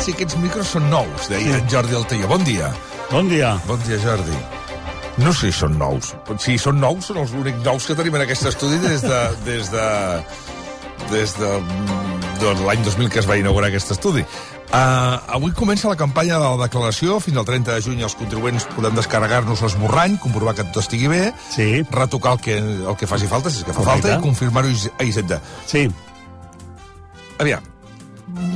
si aquests micros són nous, deia en Jordi Altaió. Bon dia. Bon dia. Bon dia, Jordi. No sé si són nous. Si són nous, són els únics nous que tenim en aquest estudi des de l'any 2000 que es va inaugurar aquest estudi. Avui comença la campanya de la declaració. Fins al 30 de juny els contribuents podem descarregar-nos l'esborrany, comprovar que tot estigui bé, retocar el que faci falta, si és que fa falta, i confirmar-ho a Hisenda. Sí. Aviam,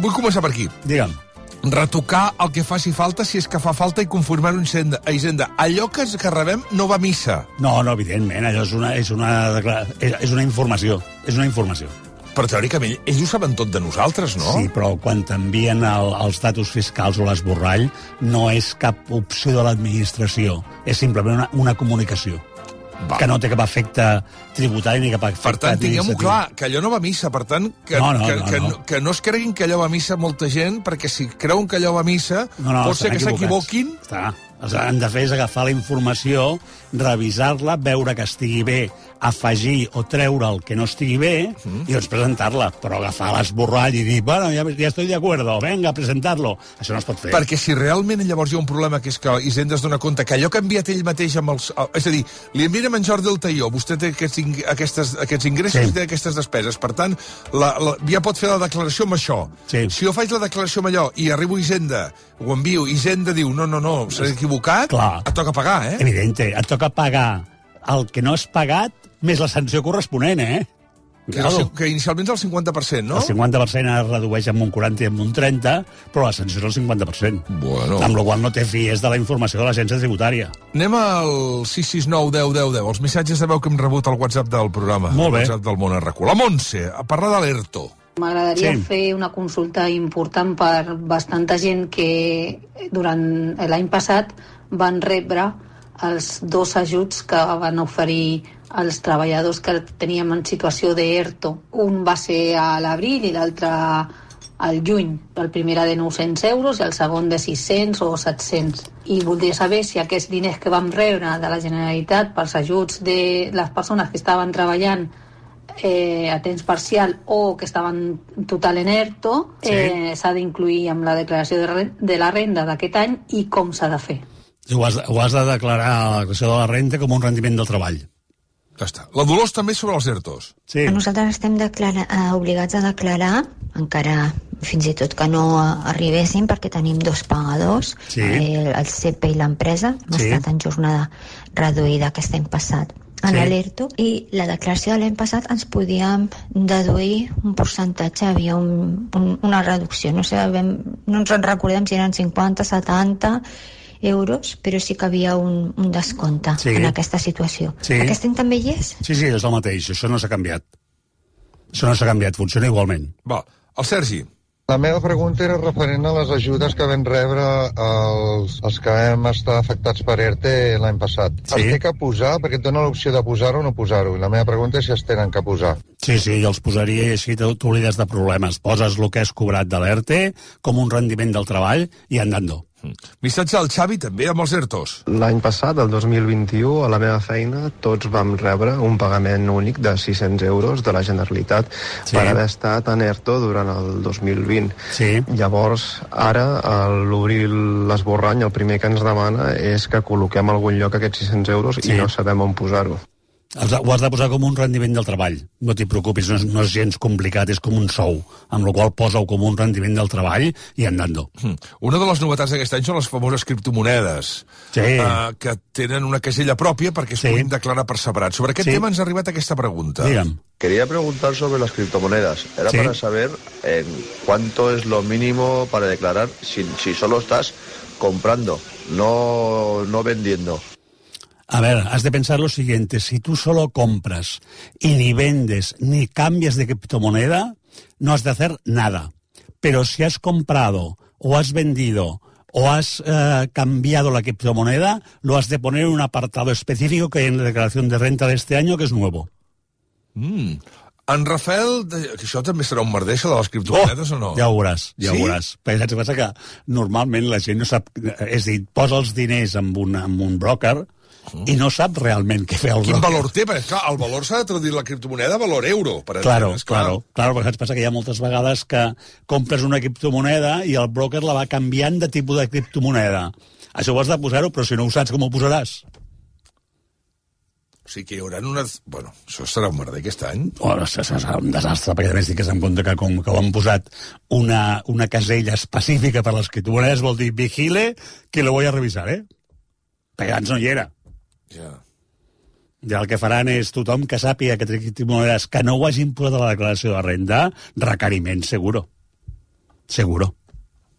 vull començar per aquí. Digue'm. Retocar el que faci falta, si és que fa falta, i confirmar-ho a Hisenda. Allò que rebem no va a missa. No, evidentment, allò és una informació. És una informació. Però teòricament ells ho saben tot de nosaltres, no? Sí, però quan t'envien els datos fiscals o l'esborrall no és cap opció de l'administració, és simplement una comunicació. Que no té cap efecte tributari ni cap efecte... Per tant, tinguem-ho clar, que allò no va a missa. Per tant, que no es creguin que allò va a missa molta gent, perquè si creuen que allò va a missa, pot ser que s'equivoquin. El que han de fer és agafar la informació, revisar-la, veure que estigui bé, afegir o treure el que no estigui bé i doncs presentar-la. Però agafar l'esborrall i dir, bueno, ja estoy de acuerdo, venga, presentar-lo. Això no es pot fer. Perquè si realment llavors hi ha un problema, que és que Hisenda es dona compte que allò que ha enviat ell mateix amb els... És a dir, li envien a en Jordi Altaió, vostè té aquests ingressos i té aquestes despeses. Per tant, ja pot fer la declaració amb això. Sí. Si jo faig la declaració amb allò i arribo a Hisenda, ho envio, Hisenda diu, no, s'ha equivocat, et toca pagar, eh? Evidente, et toca pagar el que no has pagat més la sanció corresponent, eh? Que inicialment és el 50%, no? El 50% es redueix amb un 40 i amb un 30, però la sanció és el 50%. Bueno. Amb la qual no té fies de la informació de l'agència tributària. Anem al 669 10 10 10, els missatges de veu que hem rebut al WhatsApp del programa. Molt bé. El WhatsApp del Món Arracú. La Montse, a parlar de l'ERTO. M'agradaria fer una consulta important per bastanta gent que durant l'any passat van rebre els 2 ajuts que van oferir als treballadors que teníem en situació d'ERTO. Un va ser a l'abril i l'altre al juny. El primer era de 900 euros i el segon de 600 o 700. I voldria saber si aquests diners que vam rebre de la Generalitat pels ajuts de les persones que estaven treballant a temps parcial o que estaven total en ERTO, s'ha d'incluir amb la declaració de la renda d'aquest any i com s'ha de fer. Ho has de declarar a la declaració de la renda com un rendiment del treball. Ja està. La Dolors també sobre els ERTOs. Sí. Nosaltres estem obligats a declarar, encara fins i tot que no arribéssim, perquè tenim 2 pagadors, el CEP i l'empresa. Hem estat en jornada reduïda aquest any passat en l'ERTO, i la declaració de l'any passat ens podíem deduir un percentatge, havia una reducció, no ens en recordem si eren 50, 70 euros, però sí que havia un descompte en aquesta situació. Aquest any també hi és? Sí, és el mateix, això no s'ha canviat. Això no s'ha canviat, funciona igualment. Va, el Sergi. La meva pregunta era referent a les ajudes que vam rebre els que vam estar afectats per ERTE l'any passat. Es té que posar, perquè et dona l'opció de posar-ho o no posar-ho, i la meva pregunta és si es tenen que posar. Sí, jo els posaria i així t'oblides de problemes. Poses el que has cobrat de l'ERTE com un rendiment del treball i andando. Missatge al Xavi també amb els ERTOs. L'any passat, el 2021, a la meva feina, tots vam rebre un pagament únic de 600 euros de la Generalitat per haver estat en ERTO durant el 2020. Llavors, ara, a l'obrir l'esborrany, el primer que ens demana és que col·loquem a algun lloc aquests 600 euros i no sabem on posar-ho. Ho has de posar com un rendiment del treball. No t'hi preocupis, no és gens complicat, és com un sou, amb la qual posa-ho com un rendiment del treball i andando. Una de les novetats d'aquest any són les famoses criptomonedes, que tenen una casella pròpia perquè es puguin declarar per separat. Sobre aquest tema ens ha arribat aquesta pregunta. Digue'm. Quería preguntar sobre las criptomonedas. Era para saber cuánto es lo mínimo para declarar si solo estás comprando, no vendiendo. A ver, has de pensar lo siguiente, si tú solo compras y ni vendes ni cambias de criptomoneda, no has de hacer nada. Pero si has comprado o has vendido o has cambiado la criptomoneda, lo has de poner en un apartado específico que hay en la declaración de renta de este año, que es nuevo. En Rafael, que això també serà un merder, això de les criptomonedes, o no? Ja ho veuràs. Perquè saps què passa? Que normalment la gent no sap... És a dir, posa els diners amb un broker i no sap realment què fer el broker. Quin valor té? Perquè, clar, el valor s'ha de traduir la criptomoneda a valor euro. Claro, perquè et passa que hi ha moltes vegades que compres una criptomoneda i el broker la va canviant de tipus de criptomoneda. Això ho has de posar-ho, però si no ho saps, com ho posaràs? O sigui que hi haurà unes... Bueno, això serà un merder aquest any. Bueno, això serà un desastre, perquè a més tingues en compte que com que ho han posat una casella específica per les criptomonedes vol dir vigile que lo voy a revisar, Perquè abans no hi era. Ja. Ja el que faran és tothom que sàpiga que té criptomonedes que no ho hagin posat a la declaració de renda, requeriment, seguro. Seguro.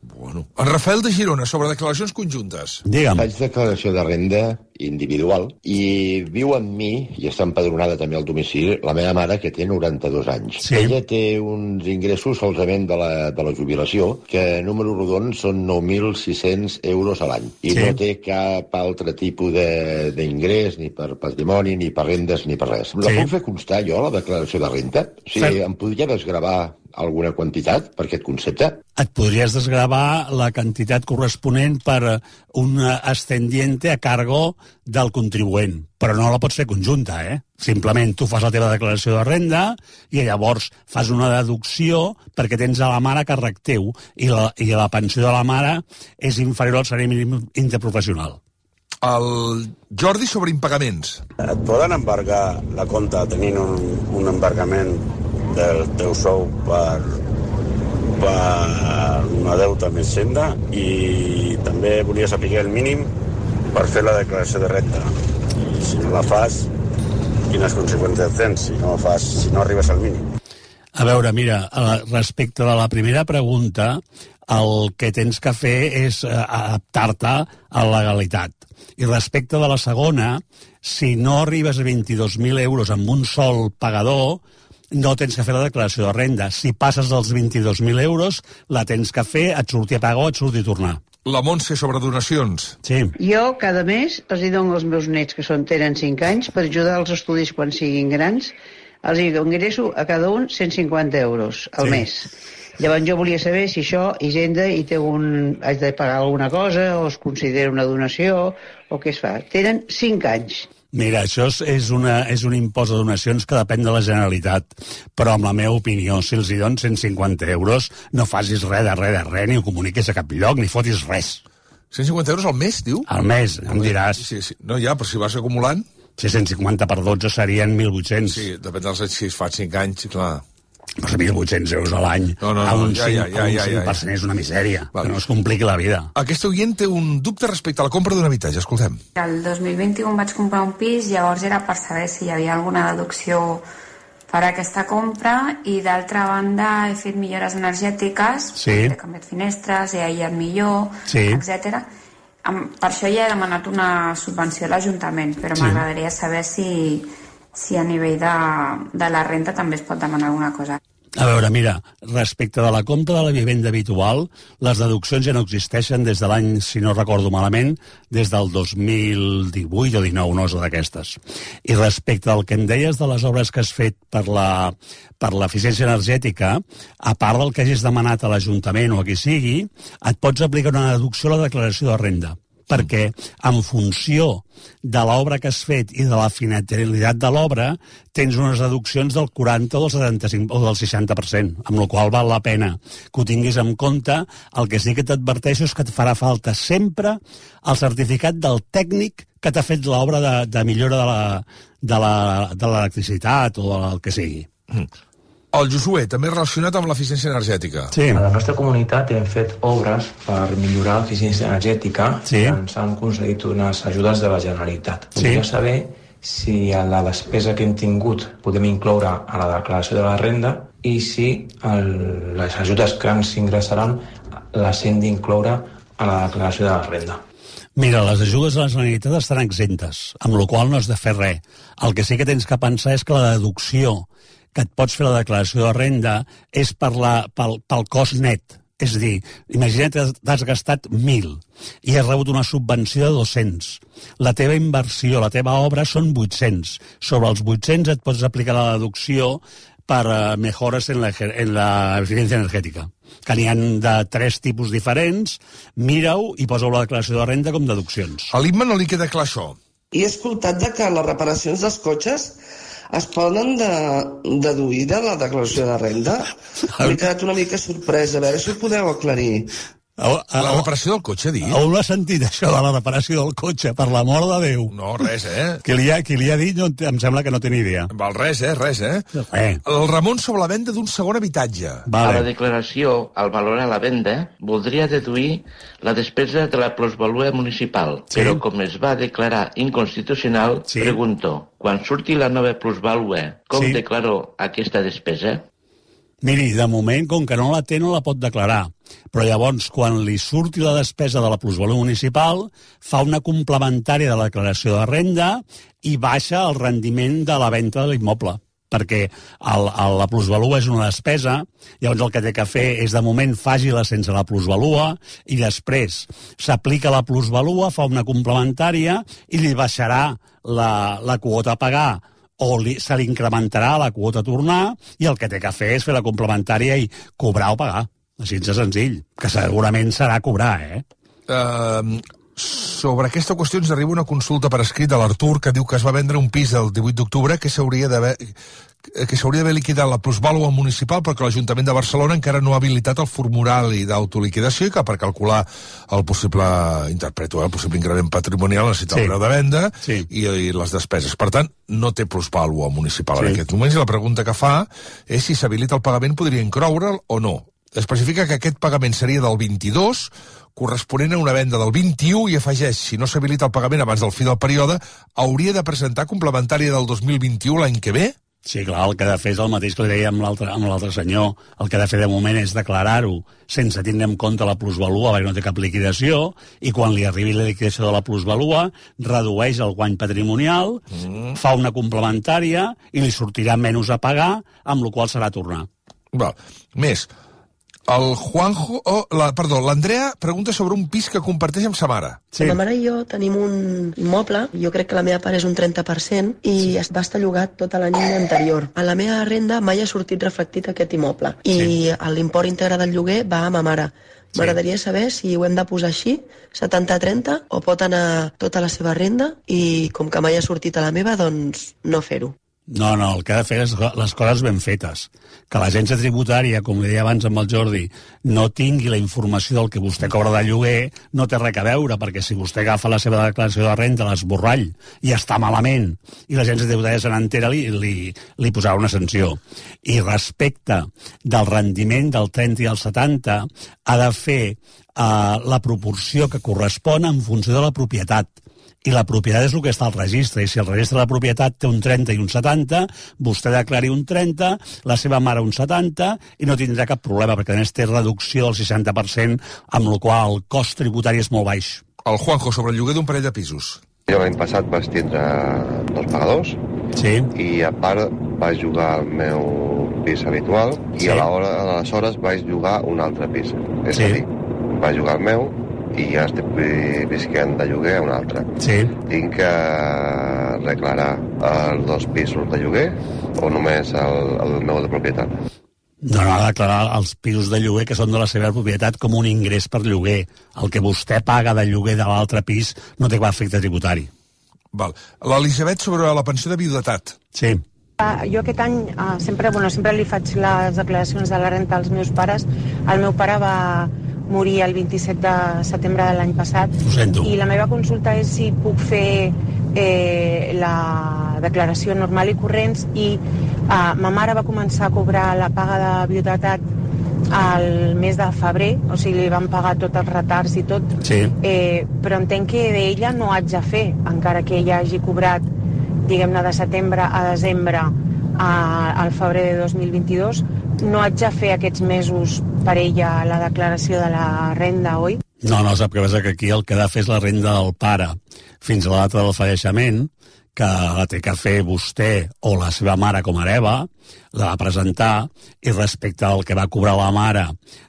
Bueno. En Rafael de Girona, sobre declaracions conjuntes. Digue'm. Faig declaració de renda individual i viu amb mi, i està empadronada també al domicili, la meva mare, que té 92 anys. Sí. Ella té uns ingressos solament de la jubilació, que número rodon són 9.600 euros a l'any. I no té cap altre tipus d'ingrés, ni per patrimoni, ni per rendes, ni per res. La puc fer constar jo, la declaració de renda? O sigui, em podria desgravar alguna quantitat per aquest concepte? Et podries desgravar la quantitat corresponent per un ascendiente a cargo del contribuent, però no la pots fer conjunta, Simplement tu fas la teva declaració de renda i llavors fas una deducció perquè tens a la mare a càrrec teu i la pensió de la mare és inferior al salari mínim interprofessional. El Jordi sobre impagaments. Et poden embargar la compta tenint un embargament del teu sou per una deuta més senda, i també volia saber el mínim per fer la declaració de renda. I si no la fas, quines conseqüències tens si no arribes al mínim? A veure, mira, respecte de la primera pregunta, el que tens que fer és adaptar-te a la legalitat. I respecte de la segona, si no arribes a 22.000 euros amb un sol pagador, no tens que fer la declaració de renda. Si passes dels 22.000 euros, la tens que fer, et surti a pagar o et surti a tornar. La Montse sobre donacions. Sí. Jo cada mes els dono als meus nets, que tenen 5 anys, per ajudar als estudis quan siguin grans. Els ingresso a cada un 150 euros al mes. Llavors jo volia saber si això, Hisenda, haig de pagar alguna cosa, o es considera una donació, o què es fa. Tenen 5 anys. Mira, això és un impost de donacions que depèn de la Generalitat, però amb la meva opinió, si els hi donen 150 euros, no facis res, ni ho comuniquis a cap lloc, ni fotis res. 150 euros al mes, diu? Al mes, em diràs. Sí. No, ja, però si vas acumulant... Si 150 per 12 serien 1.800. Sí, depèn dels anys, si es fa 5 anys, clar... Però 1.800 euros a l'any a un 5% és una misèria, que no es compliqui la vida. Aquest oient té un dubte respecte a la compra d'un habitatge, escoltem. El 2021 vaig comprar un pis, llavors era per saber si hi havia alguna deducció per a aquesta compra, i d'altra banda he fet millores energètiques, he canviat finestres, he aïllat millor, etc. Per això ja he demanat una subvenció a l'Ajuntament, però m'agradaria saber si a nivell de la renta també es pot demanar alguna cosa. A veure, mira, respecte de la compra de la vivenda habitual, les deduccions ja no existeixen des de l'any, si no recordo malament, des del 2018 o 19, no és d'aquestes. I respecte al que em deies de les obres que has fet per l'eficiència energètica, a part del que hagis demanat a l'Ajuntament o a qui sigui, et pots aplicar una deducció a la declaració de renda, perquè en funció de l'obra que has fet i de la finalitat de l'obra tens unes deduccions del 40 o del 75 o del 60%, amb la qual val la pena que ho tinguis en compte. El que sí que t'adverteixo és que et farà falta sempre el certificat del tècnic que t'ha fet l'obra de millora de l'electricitat o del que sigui. El Josué, també relacionat amb l'eficiència energètica. Sí. A la nostra comunitat hem fet obres per millorar l'eficiència energètica i ens han concedit unes ajudes de la Generalitat. Voldria saber si a la despesa que hem tingut podem incloure a la declaració de la renda i si les ajudes que ens ingressaran les hem d'incloure a la declaració de la renda. Mira, les ajudes a la Generalitat estan exemptes, amb la qual no has de fer res. El que sí que tens que pensar és que la deducció que et pots fer la declaració de renda és pel cost net. És a dir, imagina't que t'has gastat 1.000 i has rebut una subvenció de 200. La teva inversió, la teva obra són 800. Sobre els 800 et pots aplicar la deducció per mejores en la eficiència energètica, que n'hi ha de 3 tipus diferents. Mira-ho i posa-ho a la declaració de renda com deduccions. A l'IMA no li queda clar això. I he escoltat que les reparacions dels cotxes es poden deduir de la declaració de renda. M'he quedat una mica sorpresa, a veure si ho podeu aclarir. La reparació del cotxe, dic? On l'ha sentit, això de la reparació del cotxe? Per l'amor de Déu. No, res, Qui li ha dit, em sembla que no té ni idea. Val, res. El Ramon sobre la venda d'un segon habitatge. A la declaració, al valorar la venda, voldria deduir la despesa de la plusvalua municipal, però com es va declarar inconstitucional, pregunto, quan surti la nova plusvalua, com declaro aquesta despesa? Miri, de moment, com que no la té, no la pot declarar. Però llavors, quan li surti la despesa de la plusvalua municipal, fa una complementària de la declaració de renda i baixa el rendiment de la venda de l'immoble. Perquè la plusvalua és una despesa, llavors el que té que fer és, de moment, faci-la sense la plusvalua i després s'aplica la plusvalua, fa una complementària i li baixarà la quota a pagar o se li incrementarà la quota a tornar i el que té que fer és fer la complementària i cobrar o pagar. Així de senzill, que segurament serà cobrar, Sobre aquesta qüestió ens arriba una consulta per escrit de l'Artur que diu que es va vendre un pis el 18 d'octubre que s'hauria d'haver liquidat la plusvàlua municipal perquè l'Ajuntament de Barcelona encara no ha habilitat el formulari d'autoliquidació i que per calcular el possible increment patrimonial necessita el preu de venda i les despeses. Per tant, no té plusvàlua municipal en aquest moment i la pregunta que fa és si s'habilita el pagament podria incloure'l o no. Especifica que aquest pagament seria del 22, corresponent a una venda del 21 i afegeix, si no s'habilita el pagament abans del fi del període, hauria de presentar complementària del 2021 l'any que ve? Sí, clar, el que ha de fer és el mateix que li deia amb l'altre senyor. El que ha de fer de moment és declarar-ho sense tindre en compte la plusvalua, perquè no té cap liquidació, i quan li arribi la liquidació de la plusvalua, redueix el guany patrimonial, fa una complementària i li sortirà menys a pagar, amb la qual serà a tornar. Més, l'Andrea pregunta sobre un pis que comparteix amb sa mare. La mare i jo tenim un immoble, jo crec que la meva part és un 30%, i va estar llogat tota l'any anterior. A la meva renda mai ha sortit reflectit aquest immoble, i l'import íntegre del lloguer va a ma mare. M'agradaria saber si ho hem de posar així, 70-30, o pot anar tota la seva renda, i com que mai ha sortit a la meva, doncs no fer-ho. No, el que ha de fer és les coses ben fetes. Que l'agència tributària, com li deia abans amb el Jordi, no tingui la informació del que vostè cobra de lloguer, no té res a veure, perquè si vostè agafa la seva declaració de renda, l'esborrall, i està malament, i l'agència tributària se n'entera, li posarà una sanció. I respecte del rendiment del 30 i el 70, ha de fer la proporció que correspon en funció de la propietat. I la propietat és el que està al registre, i si el registre de la propietat té un 30 i un 70, vostè declari un 30, la seva mare un 70, i no tindrà cap problema, perquè a més té reducció del 60%, amb la qual el cost tributari és molt baix. El Juanjo, sobre el lloguer d'un parell de pisos. Jo l'any passat vaig tindre 2 pagadors, i a part vaig jugar al meu pis habitual, i aleshores vaig jugar un altre pis. És a dir, vaig jugar al meu, i ja estic visquent de lloguer a un altre. Tinc que declarar els 2 pisos de lloguer o només el meu de propietat? No, ha de declarar els pisos de lloguer que són de la seva propietat com un ingrés per lloguer. El que vostè paga de lloguer de l'altre pis no té cap efecte tributari. L'Elisabet sobre la pensió de viudetat. Sí. Jo aquest any sempre li faig les declaracions de la renta als meus pares. El meu pare va morir el 27 de setembre de l'any passat. I la meva consulta és si puc fer la declaració normal i corrents, i ma mare va començar a cobrar la paga de viudetat al mes de febrer, o sigui, li van pagar tots els retards i tot, però entenc que d'ella no haig de fer, encara que ella hagi cobrat, diguem-ne, de setembre a desembre al febrer de 2022, no haig de fer aquests mesos per ella la declaració de la renda, oi? No, sap què passa? Que aquí el que ha de fer és la renda del pare fins a la data del falleciment, que la té que fer vostè o la seva mare com a hereva, la va presentar, i respecte al que va cobrar la mare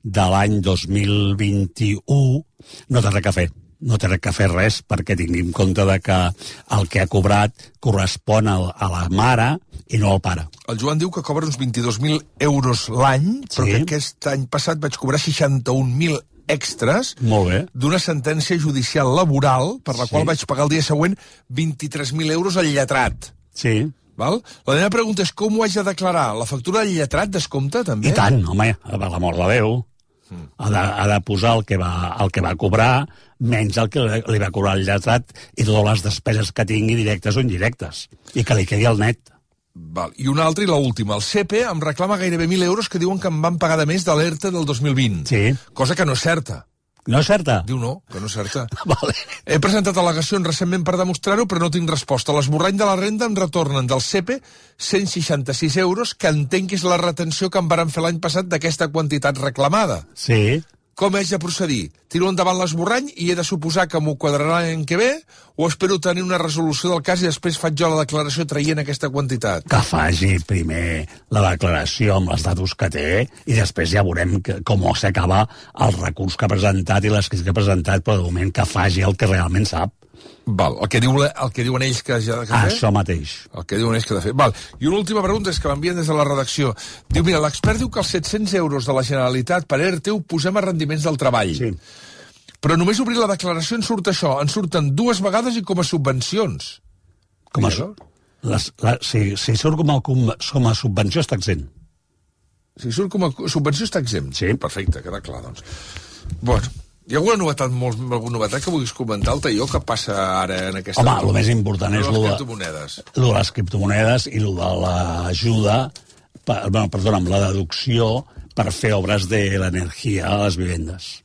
de l'any 2021 no té res a fer. No té res a fer res, perquè tingui en compte que el que ha cobrat correspon a la mare i no al pare. El Joan diu que cobra uns 22.000 euros l'any, però que aquest any passat vaig cobrar 61.000 extres d'una sentència judicial laboral per la qual vaig pagar el dia següent 23.000 euros al lletrat. Sí. Val? La meva pregunta és com ho haig de declarar? La factura del lletrat descompta, també? I tant, home, per l'amor de Déu. Ha de posar el que va cobrar menys el que li va cobrar el lletrat i totes les despeses que tingui directes o indirectes. I que li quedi al net. Val. I una altra i l'última. El CEPE em reclama gairebé 1.000 euros que diuen que em van pagar de més de l'ERTE del 2020. Sí. Cosa que no és certa. No és certa? Diu no, que no és certa. Vale. He presentat al·legacions recentment per demostrar-ho, però no tinc resposta. L'esborrany de la renda em retornen del CEPE 166 euros, que entenc que és la retenció que em varen fer l'any passat d'aquesta quantitat reclamada. Sí. Com haig de procedir? Tiro endavant l'esborrany i he de suposar que m'ho quadrarà l'any que ve o espero tenir una resolució del cas i després faig jo la declaració traient aquesta quantitat? Que faci primer la declaració amb els datos que té i després ja veurem com s'acaba el recurs que ha presentat i l'escrit que ha presentat, però de moment que faci el que realment sap. Val, el que diuen ells que ha de fer? Això mateix. El que diuen ells que ha de fer. Val. I una última pregunta és que m'envien des de la redacció. Diu, mira, l'expert diu que els 700 euros de la Generalitat per ERTE ho posem a rendiments del treball. Sí. Però només obrir la declaració en surt això. En surten 2 vegades i com a subvencions. Com a si surt com a subvenció està exempt. Si surt com a subvenció està exempt? Sí. Perfecte, queda clar, doncs. Bueno, hi ha alguna novetat que vulguis comentar, el Taió, que passa ara en aquesta... Home, el més important és les criptomonedes. Lo de les criptomonedes i lo de l'ajuda, amb la deducció per fer obres de l'energia a les vivendes.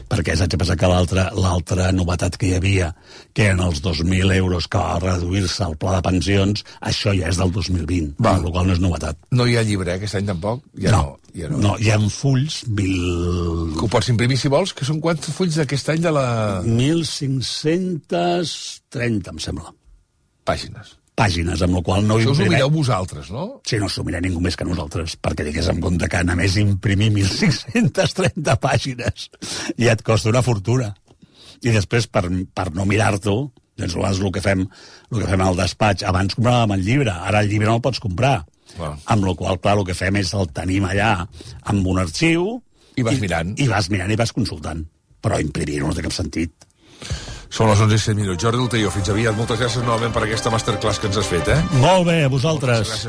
Perquè saps què passa? Que l'altra novetat que hi havia, que eren els 2.000 euros que va reduir-se al pla de pensions, això ja és del 2020, amb la qual no és novetat. No hi ha llibre, aquest any tampoc? No, hi ha fulls, que ho pots imprimir si vols, que són quants fulls d'aquest any de la... 1.530, em sembla. Pàgines, amb la qual no... Això us ho mireu vosaltres, no? Sí, no s'ho mireu ningú més que nosaltres, perquè digués en compte que només imprimir 1.530 pàgines ja et costa una fortuna. I després, per no mirar-t'ho, doncs el que fem al despatx, abans compràvem el llibre, ara el llibre no el pots comprar. Amb la qual, clar, el que fem és el tenim allà amb un arxiu... I vas mirant. I vas mirant i vas consultant. Però imprimir no té cap sentit. Són les 11:07. Jordi del Taió, fins aviat. Moltes gràcies novament per aquesta masterclass que ens has fet, Molt bé, a vosaltres.